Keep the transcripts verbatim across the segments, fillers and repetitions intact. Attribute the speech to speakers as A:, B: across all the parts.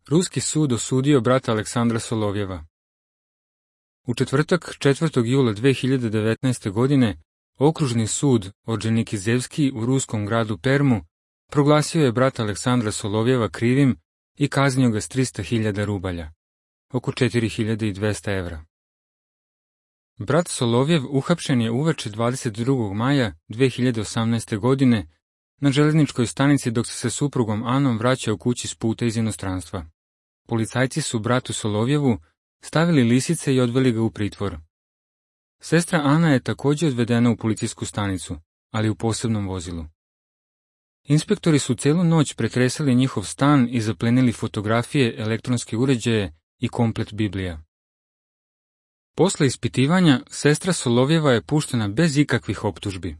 A: Ruski sud osudio brata Aleksandra Solovjeva. U četvrtak, četvrtog jula dve hiljade devetnaeste. godine, okružni sud Orđenikizevski u ruskom gradu Permu proglasio je brata Aleksandra Solovjeva krivim i kaznio ga s trista hiljada rubalja, oko četiri hiljade dvesta evra. Brat Solovjev uhapšen je uveče dvadeset drugog maja dve hiljade osamnaeste. godine na železničkoj stanici dok se sa suprugom Anom vraćao kući s puta iz inostranstva. Policajci su bratu Solovjevu stavili lisice i odveli ga u pritvor. Sestra Ana je također odvedena u policijsku stanicu, ali u posebnom vozilu. Inspektori su celu noć pretresali njihov stan i zaplenili fotografije, elektronske uređaje i komplet Biblija. Posle ispitivanja, sestra Solovjeva je puštena bez ikakvih optužbi.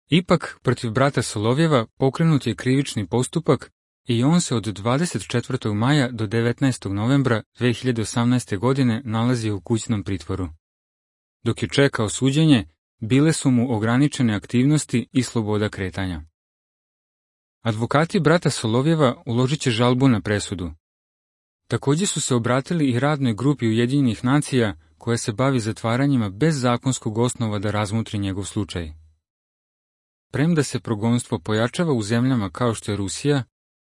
A: Ipak, protiv brata Solovjeva pokrenut je krivični postupak i on se od dvadeset četvrtog maja do devetnaestog novembra dve hiljade osamnaeste. godine nalazio u kućnom pritvoru. Dok je čekao suđenje, bile su mu ograničene aktivnosti i sloboda kretanja. Advokati brata Solovjeva uložit će žalbu na presudu. Također su se obratili i radnoj grupi Ujedinjenih nacija koja se bavi zatvaranjima bez zakonskog osnova da razmutri njegov slučaj. Premda se progonstvo pojačava u zemljama kao što je Rusija,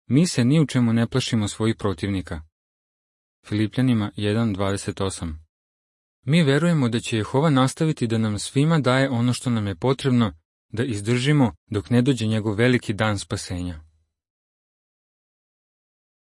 A: mi se ni u čemu ne plašimo svojih protivnika. Filipljanima jedan dvadeset osam. Mi verujemo da će Jehova nastaviti da nam svima daje ono što nam je potrebno da izdržimo dok ne dođe njegov veliki dan spasenja.